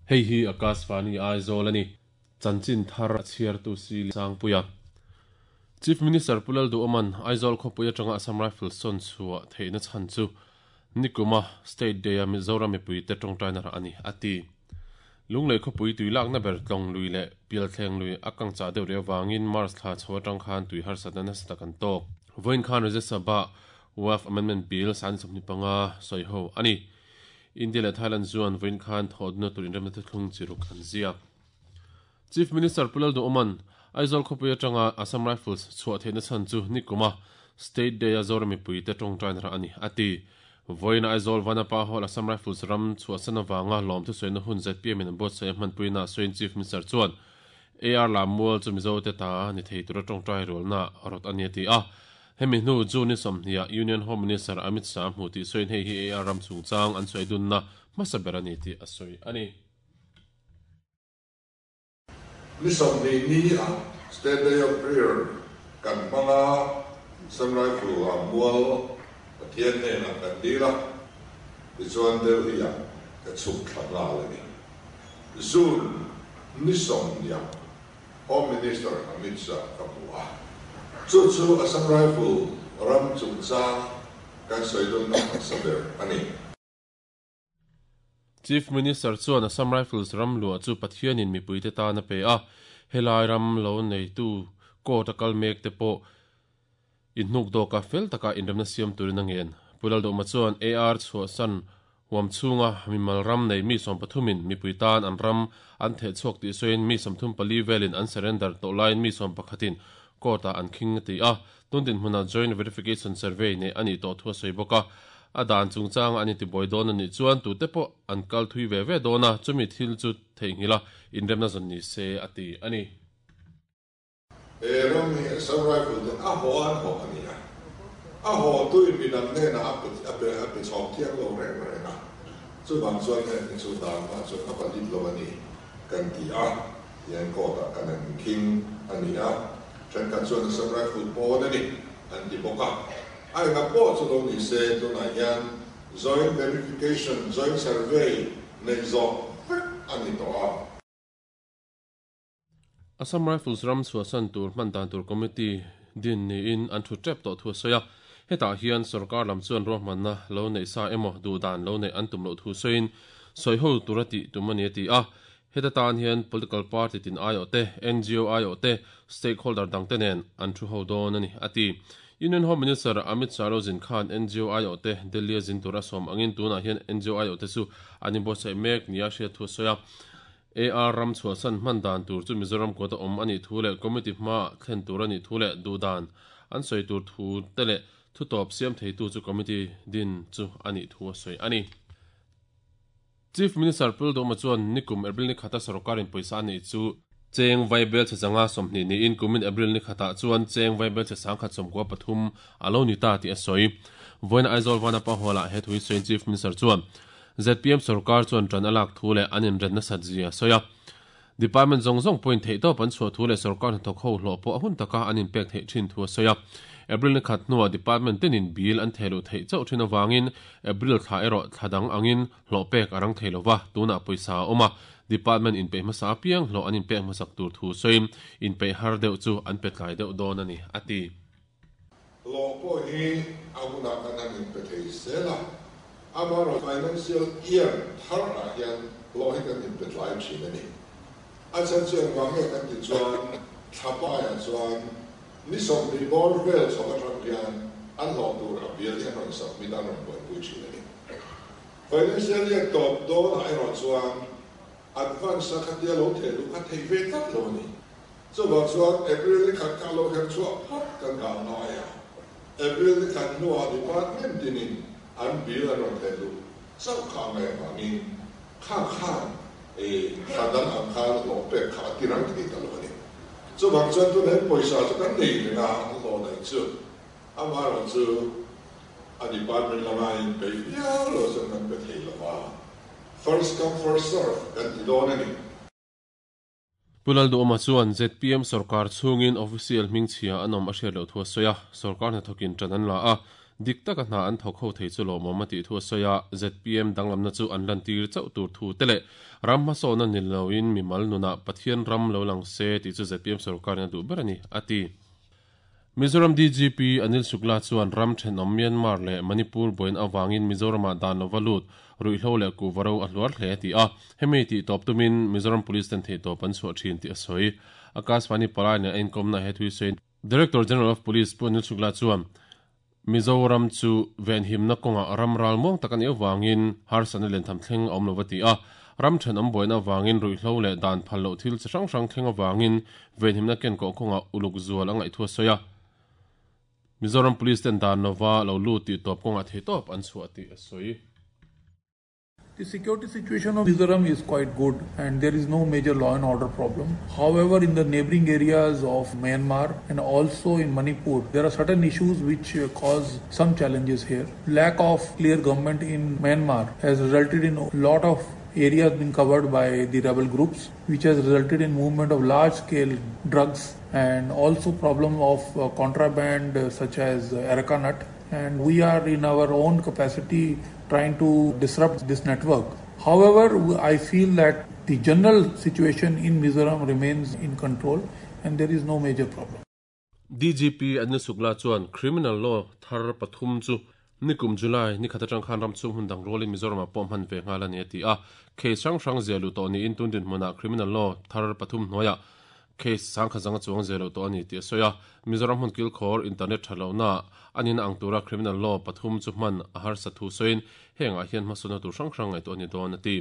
Hei hi Akashvani Aizawl a ni. Chanchin thar a chhiartu si Sangpuia. Chief Minister Pu Lalduhawma'n Aizawl khawpui atanga Assam Rifles sawn chhuah theihna chhan chu nikuma State Day-a Mizoram mipuite tawngtaina rah a ni, a ti. Lunglei khawpui tui lakna ber tlawng lui leh pialthleng lui a kang chah deuh rih avangin March thla chho atang khan tui harsatna nasa tak an tawk. Vawiin khan Rajya Sabha Waqf Amendment Bill 25 sawi ho a ni. India leh Thailand chuan vawiin khan thawhduna tur inremna thuthlung chi ruk an ziak. Chief Minister Pu Lalduhawma'n Aizawl khawpui atanga Assam Rifles chhuah theihna chhan chu nikuma State Day-a Zoram mipuite tawngtaina rah a ni, a ti. Vawiin Aizawl Vanapa Hall Assam Rifles ram chhuahsan avanga lawmthu sawina hun zpm in an buatsaih a hmanpuina sawiin Chief Minister chuan AR Lammual chu Mizote ta ni thei tura tawngtai rualna rawt a ni a ti a. Hemi hnu June ni 20 ah Union Home Minister Amit Shah hmu tih sawiin hei hi AR ram chungchang an sawi dunna hmasa ber a ni tih a sawi a ni. Ni 20 ni ah State Day of Prayer kan hmang a, Assam Rifle ah mual Pathian hnenah kan dil a, tichuan Delhi ah ka chhuk thla nghal a ni. June ni 20 ah Home Minister Amit Shah ka hmu a, chu chu Assam Rifle ram chungchang kan sawi dunna hmasa ber a ni. Chief Minister chuan Assam Rifles ram luah chu Pathianin mipuite tan a pe a, helai ram lo neitu court a kal mek te pawh inhnuk dawka fel taka inremna siam turin a ngen. Pu Lalduhma chuan AR chhuahsan huam chhunga mimal ram nei mi sawmpathumin mipui tan an ram an theh chhuak tih sawiin mi 34 velin an surrender tawh laiin mi sawmpakhatin court-ah an khing a ti a. Tun dinhmunah Joint Verification Survey neih a nih tawh thu a sawi bawk a, a dan chungchanga an intibuai dawn a nih chuan tute pawh an kal thui ve ve dawn a, chumi thil chu theihnghilh a, inremna zawn ni se a ti a ni. He ram hi Assam Rifle ten a haw an haw a ni a, a haw tuin midang hnenah a pe a pe a pe chhawk thiang lo reng reng a, chuvang chuan heng hi chu dan hma chuan a valid lo a ni kan ti a, tihian court ah kan han inkhing a ni a. Thenkhat chuan Assam Rifle pawn a ni an ti bawk a, a enga pawh chu lo ni se tunah hian Joint Verification, Joint Survey neih zawh vek a ni tawh a. Assam Rifles ram chhuahsan tur hman dan tur committee din niin an thu tep tawh thu a sawi a, hetah hian sorkar lam chuan ruahmanna lo neih sa emaw duhdan lo neih an tum loh thu sawiin sawiho tura tih tum a ni a ti a, Heta tan hian political party tin aiawh te, ngo aiawh te, stakeholder dangte nen an thu ho dawn a ni, a ti. Union Home Minister Amit Shah Rozin khan ngo aiawh te Delhi a zin tur a sawm angin tunah hian ngo aiawh te chu an inbuatsaih mek nia hriat thu a sawi a. AR ram chhuahsan hman dan tur chu Mizoram kawta awm a nih thu leh committee hmaah thlen tur a nih thu leh duhdan an sawi tur thu te leh thutawp siam theitu chu committee din chu a nih thu a sawi a ni. Chief Minister Pu Lalduhma chuan nikum April ni khata sorkarin pawisa a neih chu cheng vaibel chhe changa 20 niin kumin April ni khatah chuan cheng vaibel chhe 1093 a lo ni ta tih a sawi. Vawiin Aizawl Vanapa Hall-ah he thu hi sawiin Chief Minister chuan zpm sorkar chuan ṭan a lak thu leh an inret nasat zia a sawi a. Department zawng zawng pawhin theihtawp an chhuah thu leh sorkar hnathawk ho hlawh pawh a hun taka an inpek theih thin thu a sawi a. April ni khat hnuah department tenin bill an theh luh theih chauh thin avangin April thla erawh thla dang angin hlawh pek a rang thei lova, tunah pawisa a awm a, department inpeih hmasa apiang hlawh an inpek hmasak tur thu sawiin inpeih har deuh chu an pe tlai deuh dawn a ni, a ti. Hlawh pawh hi a hunah kan han inpe thei zel a, amaherawh financial year thar ah hian hlawh hi kan inpe tlai thin a ni. A chhan chu engvang nge kan tih chuan thlapaiah chuan ni 20 bawr vel chho atang hian an hlawh tur a bill hi an rawn submit a, an rawn buaipui thin a ni. Financial year tawp dawnah erawh chuan advance a khatia lo theh luh kha theih ve tlat lo a ni. Chuvang chuan April ni khat kha lo her chhuah phawt kan dah ngai a, April ni khat hnuah department tinin an bill an rawn theh luh chauh kha a ngaih avangin kha khan thla dang ang khan hlawh pek kha a ti rang thei ta lo a ni. Chuvang chuan tunah hian pawisa chu kan nei reng a, hlawh daih chu amaherawhchu a department lama inpeih viau lo chuan kan pe thei lo va, first come first serve kan ti dawn a ni. Pu Lalduhawma chuan zpm sorkar chhungin official hmingchhia an awm a hriat loh thu a sawi a, sorkar hnathawkin ṭan an la a, Dik taka hna an thawk ho thei chu lawmawm a tih thu a sawi a, zpm danglamna chu an lantir chauh tur thu te leh ram hmasawnna ni loin mimal nunah Pathian ram lo lang se tih chu zpm sorkarin a duh ber a ni, a ti. Mizoram DGP Anil Shukla chuan ram thenawm Myanmar leh Manipur buain avangin Mizoramah dan lova lut ruihhlo leh kuhva ro a hluar hle a ti a, hemi tih tawp tumin Mizoram Police ten theihtawp an chhuah thin tih a sawi. Akashvani palai nen a inkawmna he thui sawiin Director General of Police Pu Anil Shukla chuan Mizoram chu venhimna kawngah ram ral muang tak a nih avangin harsatna lentham thleng a awm lo va ti a, ram thenawm buaina avangin ruihhlo leh dan phal loh thil chi hrang hrang thleng avangin venhimna kenkawh kawngah uluk zual a ngaih thu a sawi a. Mizoram Police ten dan lova lo lut tih tawp kawngah theihtawp an chhuah tih a sawi. The security situation of Mizoram is quite good and there is no major law and order problem. However, in the neighboring areas of Myanmar and also in Manipur, there are certain issues which uh, cause some challenges here. Lack of clear government in Myanmar has resulted in a lot of areas being covered by the rebel groups, which has resulted in movement of large scale drugs and also problem of uh, contraband uh, such as areca nut and we are in our own capacity trying to disrupt this network. However, I feel that the general situation in Mizoram remains in control and there is no major problem. DGP Anil Shukla chuan criminal law thar pathum chu nikum July ni khat atang khan ram chung hun dang rolin Mizoram ah pawh hman ve nghal a ni a ti a. Case hrang hrang ziah luh tawh niin tun dinhmunah criminal law thar pathum hnuaiah Case sangkhat zanga chuang zel loh tawh a ni tih a sawi a, Mizoram hmun kilkhawr internet tha lohna a nihna ang tura criminal law pathum chu hman a harsa thu sawiin hengah hian hmasawnna tur hrang hrang ngaihtuah a ni dawn a ti.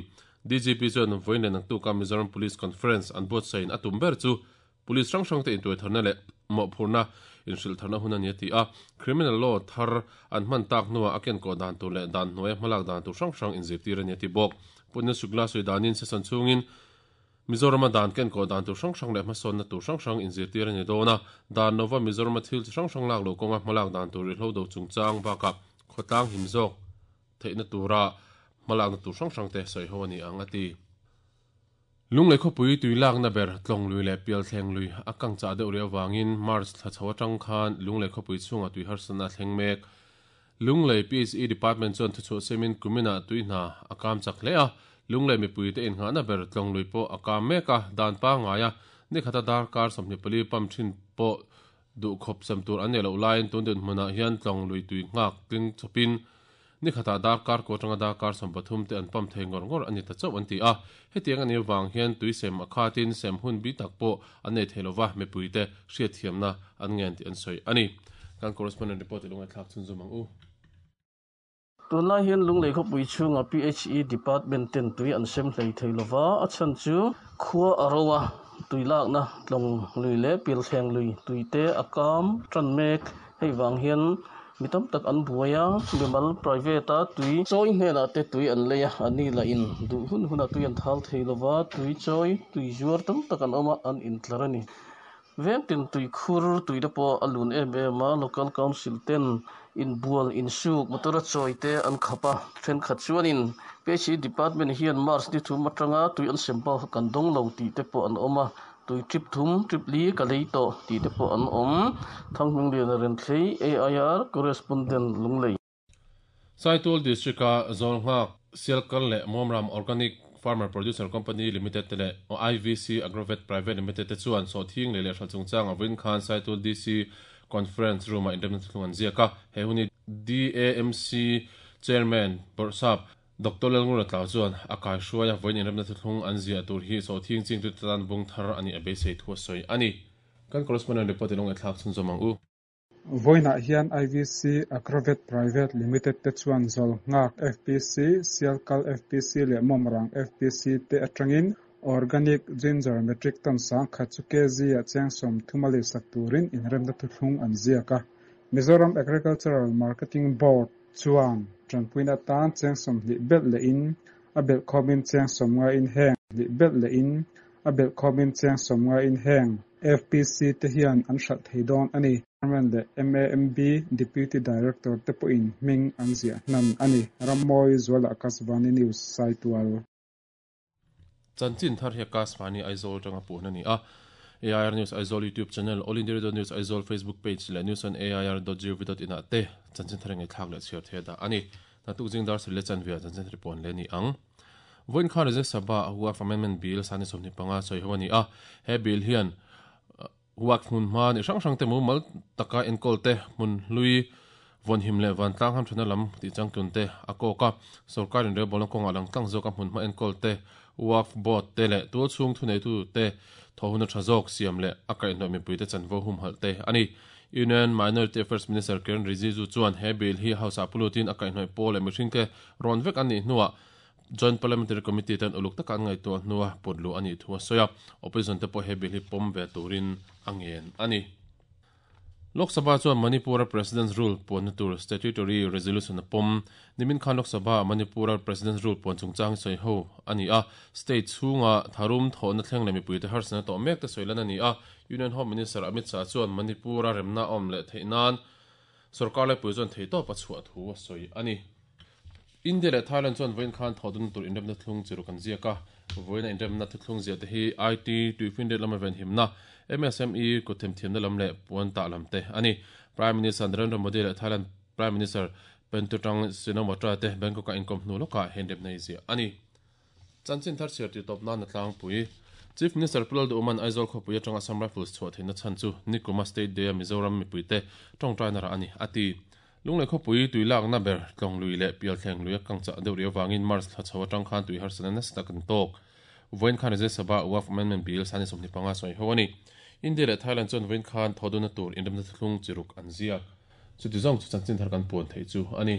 DGP chuan vawiin leh naktuka Mizoram Police Conference an buatsain a tum ber chu Police hrang hrangte intuaitharna leh mawhphurhna inhrilhtharna hun a ni a ti a, criminal law thar an hman tak hnuah a kenkawh dan tur leh dan hnuaia hmalak dan tur hrang hrang inzirtir a ni a ti bawk. Putna Shukla sawi danin session chhungin Mizorama dan kenkawh dan tur hrang hrang leh hmasawnna tur hrang hrang inzirtir a ni dawn a, dan lova Mizorama thil chi hrang hrang lak loh kawnga hmalak dan tur rihlo do chungchang bakah khawtlang him zawk theihna tura hmalakna tur hrang hrang te sawi ho a ni ang a ti. Lunglei khawpui tui lakna ber Tlawng lui leh Pialthleng lui a kang chah deuh rih avangin March thla chho atang khan Lunglei khawpui chhungah tui harsatna a thleng mek. Lunglei PHE Department chuan thuchhuah siamin kuminah tui hna a kam chak hle a, Lunglei mipuite innghahna ber Tlawng lui pawh a kam mek a, dan pangngaia nikhata darkar 24 pump thin pawh duhkhawp sem tur an neih loh laiin tun dinhmunah hian Tlawng lui tui nghak tling chawpin nikhatah darkar kua atanga darkar 13 te an pump thei ngawr ngawr a ni ta chauh an ti a. Hetiang a nih avang hian tui sem a khatin sem hun bi tak pawh an nei thei lova, mipuite hriatthiamna an ngen tih an sawi a ni. Kan correspondent report i lo ngaihthlak chhunzawm ang u. Tunlai hian Lunglei khawpui chhungah PHE Department ten tui an sem hlei thei lova, a chhan chu khua a ro a, tui lakna tlawng lui leh pilthleng lui tui te a kam tan mek. Hei vang hian mi tam tak an buai a, mimal private a tui chawi hnenah te tui an lei a, an ni lah in duh hun hunah tui an thal thei lova, tui chawi tui zuar tam tak an awm a, an intlar a ni. Veng tin tui khur tui te pawh a lun em em a, local council ten inbual insuk motor a chawi te an khap a, thenkhat chuanin PHE department hian March ni thum atanga tui an sem bak kha kan dawng lo tih te pawh an awm a. Tui trip thum, trip li ka lei tawh tih te pawh an awm. Thanghmingliana Renthlei, AIR Correspondent, Lunglei. Saitul District-a Zawlnghak, Sialkal leh Mawmram Organic Farmer Producer Company Limited te leh IVC Agrovet Private Limited te chuan sawhthing lei leh hralh chungchang a vawiin khan Saitul DC Conference Room-ah inremna thuthlung an ziak a. He hun hi DAMC Chairman Bawrhsap Doctor Lalngura Tlau chuan a kaihruai a, vawiin inremna thuthlung an ziah tur hi sawhthing chingtute tan bung thar a nih a beisei thu a sawi a ni. Kan correspondent report i lo ngaihthlak chhunzawm ang u. Vawiinah hian IVC Agrovet Private Limited te chuan Zawlnghak FPC, Sialkal FPC leh Mawmrang FPC te atangin Organic Ginger metric ton 10,000 chu kg-ah cheng 30 a leisak turin inremna thuthlung an ziak a. Mizoram Agricultural Marketing Board chuan tanpuina atan cheng 20 belh lehin a belh khawmin cheng 50 in heng hnih belh lehin a belh khawmin cheng 50 in heng FPC te hian an hralh thei dawn a ni. Chairman leh MAMB Deputy Director te pawhin hming an ziah hnan a ni. Rammawi Zuala Akashvani News, Saitual. Chanchin thar hi Akashvani Aizawl atanga puhna a ni a. AIR News Aizawl YouTube channel, All India Radio News Aizawl Facebook page leh news on air dot gov dot in ah te chanchin thar ngaihthlak leh chhiar thei a dah a ni. Naktuk zing dar sarih leh chanve ah chanchin thar puan leh a ni ang. Vawiin khan Rajya Sabha a Waqf Amendment Bill sani 25 sawi ho a ni a, he bill hian Waqf hmun hma ni hrang hrang te mumal taka enkawl te, hmun hlui vawnhim leh vantlang hamthana lam tih changtlun te a kawk a, sorkar inrelbawlna kawngah langtlang zawka hmun hma enkawl te, Waqf Board te leh tualchhung thuneitu te thawhhuna tha zawk siam leh a kaihhnawih mipuite chanvo humhalh te a ni. Union Minority Affairs Minister Kiren Rijiju chuan he bill hi House ah pulutin a kaihhnawih pawl leh mihringte rawn vek an nih hnuah Joint Parliamentary Committee ten uluk taka an ngaihtuah hnua put luh a nih thu a sawi a, opposition te pawh he bill hi pawm ve turin a ngen a ni. Lok Sabha chuan Manipur-a President's Rule puanna tur Statutory Resolution a pawm. Nimin khan Lok Sabha-ah Manipur-a President's Rule puan chungchang hi sawi ho a ni a, state chhunga tharum thawhna thleng leh mipuite harsatna tawh mek te sawi lan a ni a. Union Home Minister Amit Shah chuan Manipur-a remna a awm leh theih nan sorkar laipui chuan theihtawp a chhuah thu a sawi a ni. India leh Thailand chuan vawiin khan thawhdun tur inremna thlung chi ruk an ziak a, vawiina inremna thuthlung ziah te hi IT, tuifinriat lama venhimna, MSME, kut themthiamna lam leh puan tah lam te a ni. Prime Minister Narendra Modi leh Thailand Prime Minister Paetongtarn Shinawatra te Bangkok-a inkawm hnu lawkah he inremna hi ziah a ni. Chanchin thar chhiar tih tawp nan a tlangpui. Chief Minister Pu Lalduhman Aizawl khawpui atanga Assam Rifles chhuah theihna chhan chu nikuma State Day-a Mizoram mipuite tawngtaina rah a ni, a ti. Lunglei khawpui tui lakna ber tlawng lui leh pialthleng lui a kang chah deuh rih avangin March thla chho atang khan tui harsatna nasa tak an tawk. Vawiin khan Rajya Sabha Waqf Amendment Bill sani 25 sawi ho a ni. India leh Thailand chuan vawiin khan thawhdunna tur inremna thuthlung chi ruk an ziak. Chuti zawng chu chanchin thar kan puan theih chu a ni.